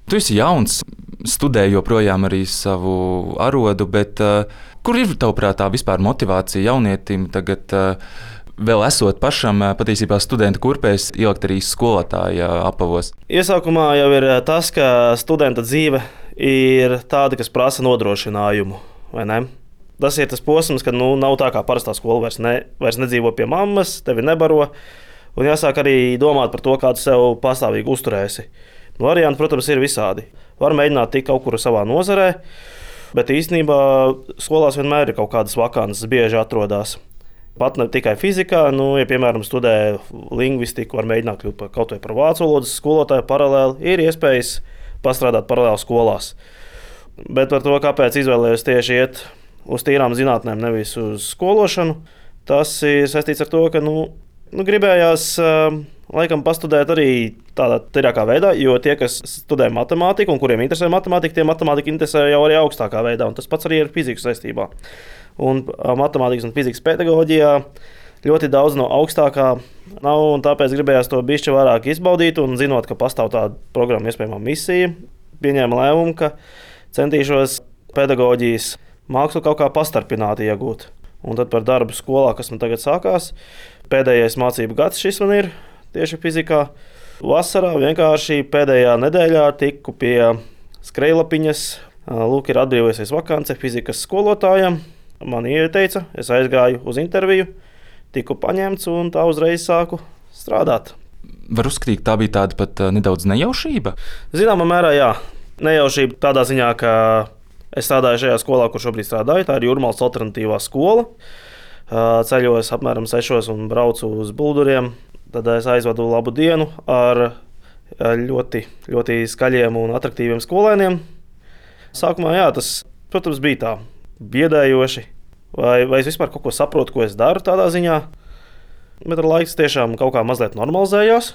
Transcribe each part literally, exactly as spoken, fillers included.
Tu esi jauns, studē joprojām arī savu arodu, bet uh, kur ir tavuprāt tā vispār motivācija jaunietim tagad, uh, vēl esot pašam uh, patiesībā studenta kurpēs, ielikt arī skolotāja apavos? Iesākumā jau ir tas, ka studenta dzīve ir tāda, kas prasa nodrošinājumu, vai ne? Tas ir tas posms, kad nu, nav tā kā parastā skola, vairs, ne, vairs nedzīvo pie mammas, tevi nebaro, un jāsāk arī domāt par to, kā tu sev pastāvīgi uzturēsi. Varianti, protams, ir visādi. Var mēģināt tikt kaut kur savā nozarē, bet īstenībā skolās vienmēr ir kaut kādas vakances, bieži atrodas. Pat ne tikai fizikā, nu, ja, piemēram, studē lingvistiku, var mēģināt kļūt par kaut vai par vācu valodas skolotāju paralēli, ir iespējas pastrādāt paralēli skolās. Bet par to, kāpēc izvēlējos tieši iet uz tīrām zinātnēm, nevis uz skološanu, tas ir saistīts ar to, ka nu, nu, gribējās laikam pastudēt arī tādā tīrākā veidā, jo tie, kas studē matemātiku un kuriem interesē matemātika, tie matemātika interesē jau arī augstākā veidā, un tas pats arī ir fizikas saistībā. Un matemātikas un fizikas pedagoģijā ļoti daudz no augstākā nav, un tāpēc gribējās to bišķi vairāk izbaudīt, un zinot, ka pastāv tāda programma iespējamā misija, pieņēma lēmumu, ka centīšos pedagoģijas mākslu kaut kā pastarpināti iegūt. Un tad par darbu skolā, kas man tagad sākās, pēdējais mācību gads šis man ir tieši fizikā. Vasarā vienkārši pēdējā nedēļā tiku pie skrejlapiņas. Lūk, ir atbrīvojusies vakance fizikas skolotājiem. Man ieteica, es aizgāju uz interviju, tiku paņemts un tā uzreiz sāku strādāt. Var uzskatīt, tā bija tāda pat nedaudz nejaušība? Zināmā mērā jā. Nejaušība tādā ziņā, ka es strādāju šajā skolā, kur šobrīd strādāju. Tā ir Jūrmalas alternatīvā skola. Ceļos apmēram sešos un braucu uz Bulduriem. Tad es aizvadu labu dienu ar ļoti, ļoti skaļiem un atraktīviem skolēniem. Sākumā jā, tas, protams, bija tā biedējoši. Vai, vai es vispār kaut ko saprotu, ko es daru tādā ziņā. Bet ar laiku tiešām kaut kā mazliet normalizējās,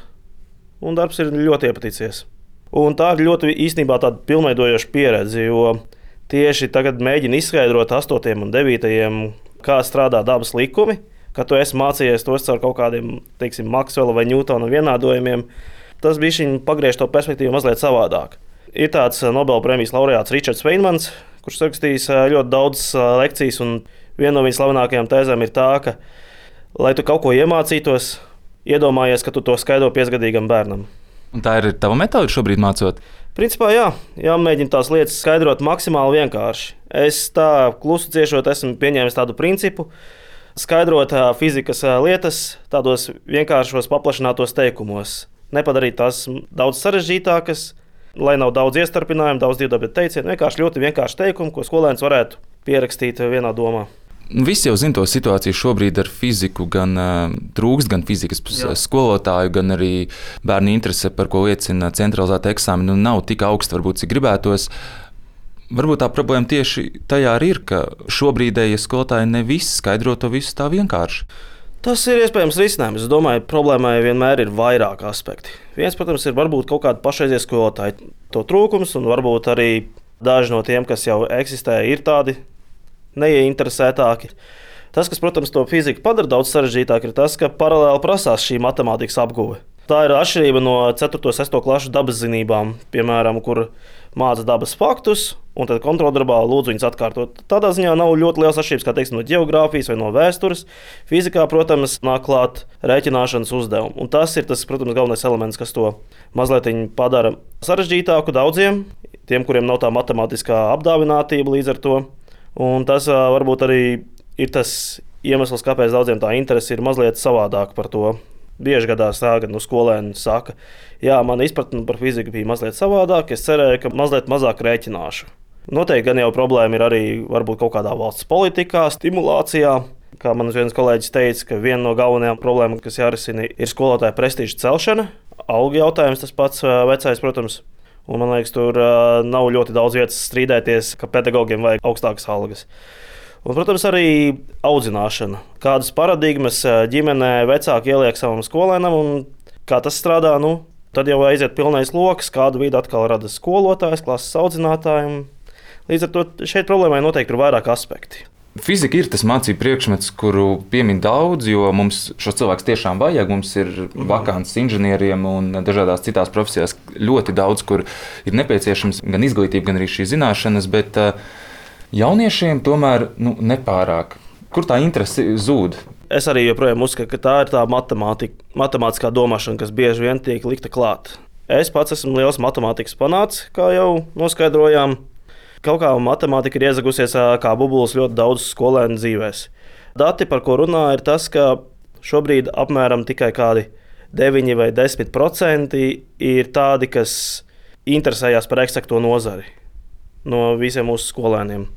un darbs ir ļoti iepaticies. Un tā ir ļoti īstenībā tāda pilnveidojoša pieredze, jo tieši tagad mēģinu izskaidrot astotiem un devītajiem, kā strādā dabas likumi, ka tu esi mācījies tos ar kaut kādiem, teiksim, Maksvela vai Ņūtona vienādojumiem. Tas bišķiņ pagriež to perspektīvu mazliet savādāk. Ir tāds Nobela prēmijas laureāts Ričards Feynmans, kurš rakstījis ļoti daudz lekcijas, un viena no viņa slavenākajām tēzēm ir tā, ka, lai tu kaut ko iemācītos, iedomājies, ka tu to skaidro piecgadīgam bērnam. Un tā ir tava metode šobrīd mācot? Principā jā, jāmēģina tās lietas skaidrot maksimāli vienkārši. Es tā klusu ciešot esmu pieņēmis tādu principu, skaidrot fizikas lietas tādos vienkāršos paplašinātos teikumos. Nepadarīt tās daudz sarežģītākas, lai nav daudz iestarpinājumu, daudz divdabļu teicienu. Vienkārši ļoti vienkārši teikumu, ko skolēns varētu pierakstīt vienā domā. Visi jau zina to situāciju šobrīd ar fiziku, gan uh, trūkst gan fizikas Jā. skolotāju, gan arī bērnu interese, par ko liecina centralizēta eksāmena, nu, nav tik augsta, varbūt, cik gribētos. Varbūt tā problēma tieši tajā arī ir, ka šobrīdējie skolotāji ne visi skaidro to visu tā vienkārši. Tas ir iespējams risinājums. Es domāju, problēmai vienmēr ir vairāk aspekti. Viens, protams, ir varbūt kaut kāda pašreizie skolotāji to trūkums, un varbūt arī daži no tiem, kas jau eksistē, ir tādi neieinteresētāki. Tas, kas, protams, to fiziku padara daudz sarežģītāk, ir tas, ka paralēli prasās šī matemātikas apguve. Tā ir atšķirība no ceturto un sesto klašu dabas zinībām, piemēram, kur māca dabas faktus, un tad kontroldarbā lūdzu viņus atkārtot. Tādā ziņā nav ļoti liels atšķirības, kā teiksim, no ģeogrāfijas vai no vēstures. Fizikā, protams, nāk klāt rēķināšanas uzdevumu. Un tas ir tas, protams, galvenais elements, kas to mazliet padara sarežģītāku daudziem, tiem, kuriem nav tā matemātiskā apdāvinātība līdz ar to. Un tas varbūt arī ir tas iemesls, kāpēc daudziem tā interese ir mazliet savādāk par to. Bieži gadās tā, ka nu, skolēni saka, jā, mana izpratne par fiziku bija mazliet savādāk, es cerēju, ka mazliet mazāk rēķināšu. Noteikti gan jau problēma ir arī varbūt kaut kādā valsts politikā, stimulācijā. Kā man viens kolēģis teica, ka viena no galvenajām problēmām, kas jārisina, ir skolotāja prestiža celšana. Algu jautājums tas pats vecais, protams. Un man liekas, tur nav ļoti daudz vietas strīdēties, ka pedagogiem vajag augstākas algas. Un, protams, arī audzināšana. Kādas paradigmas ģimenē vecāki ieliek savam skolēnam un kā tas strādā, nu, tad jau aiziet pilnais loks, kādu vidi atkal rada skolotājs, klases audzinātājiem. Līdz ar to šeit problēmai noteikti ir vairāk aspekti. Fizika ir tas mācību priekšmets, kuru piemin daudz, jo mums šos cilvēkus tiešām vajag. Mums ir vakants inženieriem un dažādās citās profesijās ļoti daudz, kur ir nepieciešams gan izglītība, gan arī šī zināšanas, bet jauniešiem tomēr nu, nepārāk. Kur tā interese zūd? Es arī joprojām uzskatu, ka tā ir tā matemātika, matemātiskā domāšana, kas bieži vien tiek likta klāt. Es pats esmu liels matemātikas fanāts, kā jau noskaidrojām. Kaut kā matemātika ir iezagusies kā bubulis ļoti daudz skolēnu dzīvēs. Dati, par ko runā, ir tas, ka šobrīd apmēram tikai kādi deviņi vai desmit procenti ir tādi, kas interesējās par eksakto nozari no visiem mūsu skolēniem.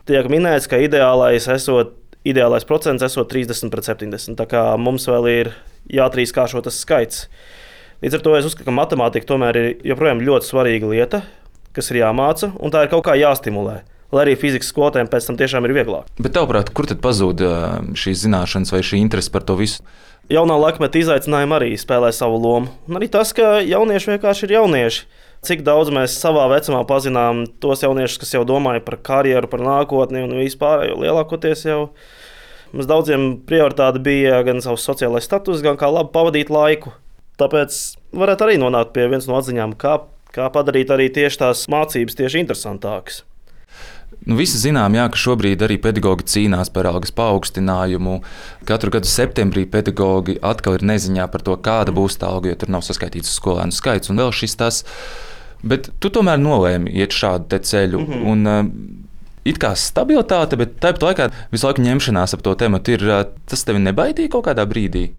Tiek minēts, ka ideālais, esot, ideālais procents esot trīsdesmit pret septiņdesmit, tā kā mums vēl ir jātrīskāršo tas skaits. Līdz ar to es uzskatu, ka matemātika tomēr ir joprojām ļoti svarīga lieta, kas ir jāmāca, un tā ir kaut kā jāstimulē, lai arī fizikas skolotājiem pēc tam tiešām ir vieglāk. Bet tavuprāt, kur tad pazūd šīs zināšanas vai šī interese par to visu? Jaunā laikmeta izaicinājumi arī spēlē savu lomu. Un arī tas, ka jaunieši vienkārši ir jaunieši. Cik daudz mēs savā vecumā pazinām tos jauniešus, kas jau domāja par karjeru, par nākotni un vispār, jo lielākoties jau mums daudziem prioritāte bija gan savs sociālais status, gan kā labi pavadīt laiku. Tāpēc varētu arī nonākt pie viens no atziņām, kā Kā padarīt arī tieši tās mācības tieši interesantākas. Nu, visi zinām, jā, ka šobrīd arī pedagogi cīnās par algas paaugstinājumu. Katru gadu septembrī pedagogi atkal ir neziņā par to, kāda būs tā alga, jo tur nav saskaitīts skolēnu skaits un vēl šis tas. Bet tu tomēr nolēmi iet šādu te ceļu. Mm-hmm. Un, uh, it kā stabilitāte, bet tāpat laikā visu laiku ņemšanās ap to tematu ir. Uh, tas tevi nebaidīja kaut kādā brīdī?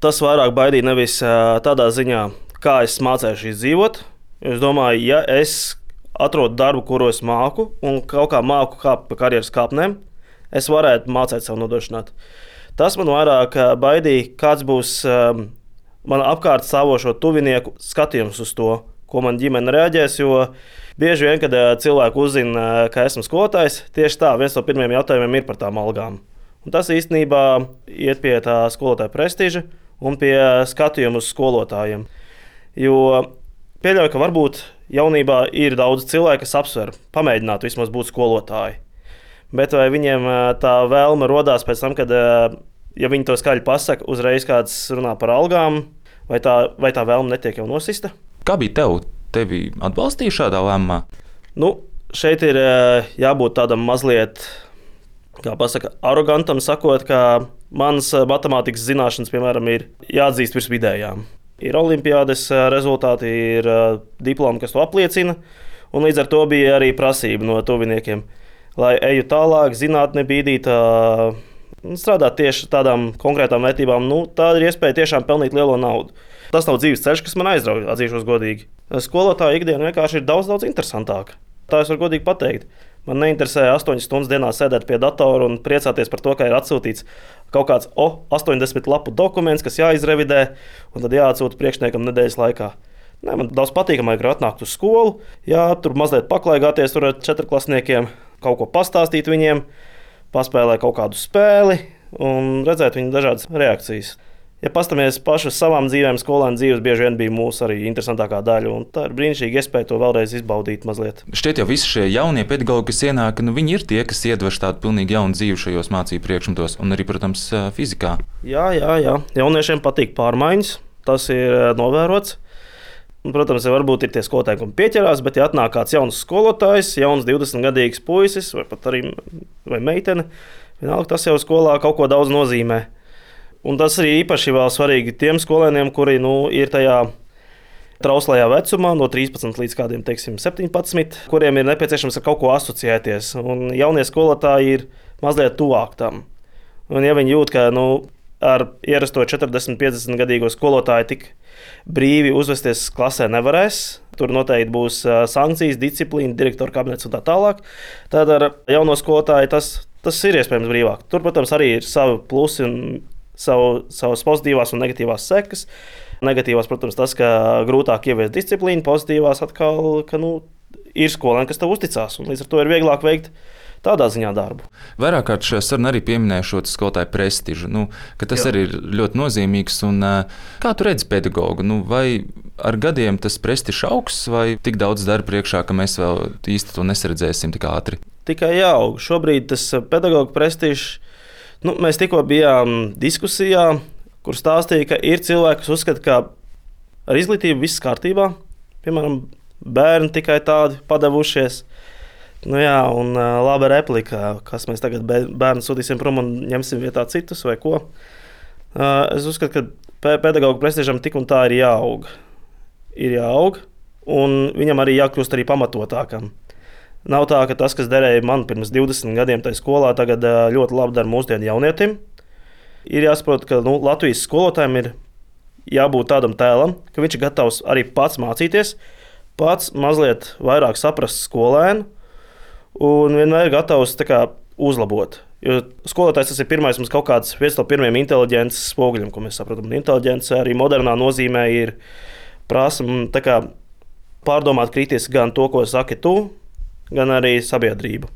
Tas vairāk baidīja nevis uh, tādā ziņā, kā es mācējušies dzīvot. Es domāju, ja es atrodu darbu, kuru es māku, un kaut kā māku kāpt pa karjeras kāpnēm, es varētu mācīt sev nodrošināt. Tas man vairāk baidīja, kāds būs um, man apkārt stāvošo tuvinieku skatījums uz to, ko man ģimene reaģēs. Jo bieži vien, kad cilvēki uzzina, ka esmu skolotājs, tieši tā, viens no pirmiem jautājumiem ir par tām algām. Un tas īstenībā iet pie tā skolotāja prestiža un pie skatījuma uz skolotājiem. Jo pieļauju, ka varbūt jaunībā ir daudz cilvēku, kas apsver, pamēģināt vismaz būt skolotāji. Bet vai viņiem tā vēlme rodās pēc tam, kad, ja viņi to skaļi pasaka, uzreiz kāds runā par algām, vai tā, vai tā vēlme netiek jau nosista? Kā bija tev? Tevi atbalstīja šādā lēmumā? Nu, šeit ir jābūt tādam mazliet, kā pasaka, arogantam, sakot, ka manas matemātikas zināšanas, piemēram, ir jāatzīst virs vidējām. Ir olimpiādes rezultāti, ir diplomi, kas to apliecina, un līdz ar to bija arī prasība no tuviniekiem, lai eju tālāk, zinātne bīdīt, strādāt tieši tādām konkrētām vērtībām. Nu, tā ir iespēja tiešām pelnīt lielo naudu. Tas nav dzīves ceļš, kas man aizrauja, atzīšos godīgi. Skolotāja ikdiena vienkārši ir daudz, daudz interesantāka. Tā es varu godīgi pateikt. Man neinteresē astoņas stundas dienā sēdēt pie datora un priecāties par to, ka ir atsūtīts kaut kāds oh, astoņdesmit lapu dokuments, kas jāizrevidē, un tad jāatsūta priekšniekam nedēļas laikā. Nē, man daudz patīkamāk ir atnākt uz skolu, jā, tur mazliet paklaigāties tur ar četrklasniekiem, kaut ko pastāstīt viņiem, paspēlēt kaut kādu spēli un redzēt viņu dažādas reakcijas. Ja pastamies paši uz savām dzīvēm, skolēnu dzīves bieži vien bija mūsu arī interesantākā daļa, un tā ir brīnišķīga iespēja to vēlreiz izbaudīt mazliet. Šķiet jau visi šie jaunie pedagogi, kas ienāk, nu viņi ir tie, kas iedvež tādu pilnīgi jaunu dzīvi šajos mācību priekšmetos, un arī, protams, fizikā. Jā, jā, jā. Jauniešiem patīk pārmaiņas, tas ir novērots. Un, protams, varbūt ir tie skolotāji, kam pieķerās, bet ja atnāk kāds jauns skolotājs, jauns divdesmitgadīgs puisis, vai pat arī vai meitene, vienalga tas jau skolā kaut ko daudz nozīmē. Un tas arī īpaši vēl svarīgi tiem skolēniem, kuri nu, ir tajā trauslajā vecumā, no trīspadsmit līdz kādiem, teiksim, septiņpadsmit, kuriem ir nepieciešams ar kaut ko asociēties. Un jaunie skolotāji ir mazliet tuvāk tam. Un ja viņi jūt, ka nu, ar ierasto četrdesmit, piecdesmit gadīgo skolotāju tik brīvi uzvesties klasē nevarēs, tur noteikti būs sankcijas, disciplīna, direktora kabinets un tā tālāk, tad ar jauno skolotāju tas, tas ir iespējams brīvāk. Tur, protams, arī ir savi plusi un Savu, savas pozitīvās un negatīvās sekas. Negatīvās, protams, tas, ka grūtāk ieviest disciplīnu, pozitīvās atkal, ka nu, ir skolēni, kas tev uzticās, un līdz ar to ir vieglāk veikt tādā ziņā darbu. Vairāk kārt šajā sarunā arī pieminēju šo skolotāju prestižu, nu, ka tas Jā. Arī ir ļoti nozīmīgs. Un, kā tu redzi pedagogu? Nu, vai ar gadiem tas prestižs augs, vai tik daudz darba priekšā, ka mēs vēl īsti to nesaredzēsim tik ātri? tikai jāaug. Šobrīd tas pedagoģa prestižs, nu, mēs tikko bijām diskusijā, kur stāstīja, ka ir cilvēki, kas uzskata, ka ar izglītību viss kārtībā. Piemēram, bērni tikai tādi padavušies. Nu jā, un uh, laba replika, kas mēs tagad bērnu sūtīsim prom un ņemsim vietā citus vai ko. Uh, es uzskatu, ka pedagoģa prestižam tik un tā ir jāaug. Ir jāaug, un viņam arī jākļūst arī pamatotākam. Nav tā, ka tas, kas derēja man pirms divdesmit gadiem tajā skolā, tagad uh, ļoti labi dara mūsdienu jaunietim. Ir jāsaprot, ka nu, Latvijas skolotājiem ir jābūt tādam tēlam, ka viņš ir gatavs arī pats mācīties, pats mazliet vairāk saprast skolēnu, un vienmēr ir gatavs kā, uzlabot. Jo skolotājs tas ir pirmais, mums kaut kāds viens no pirmiem inteliģences spoguļiem, ko mēs saprotam. Inteliģence arī modernā nozīmē ir prasa kā, pārdomāt kritiski gan to, ko saki tu, gan arī sabiedrību.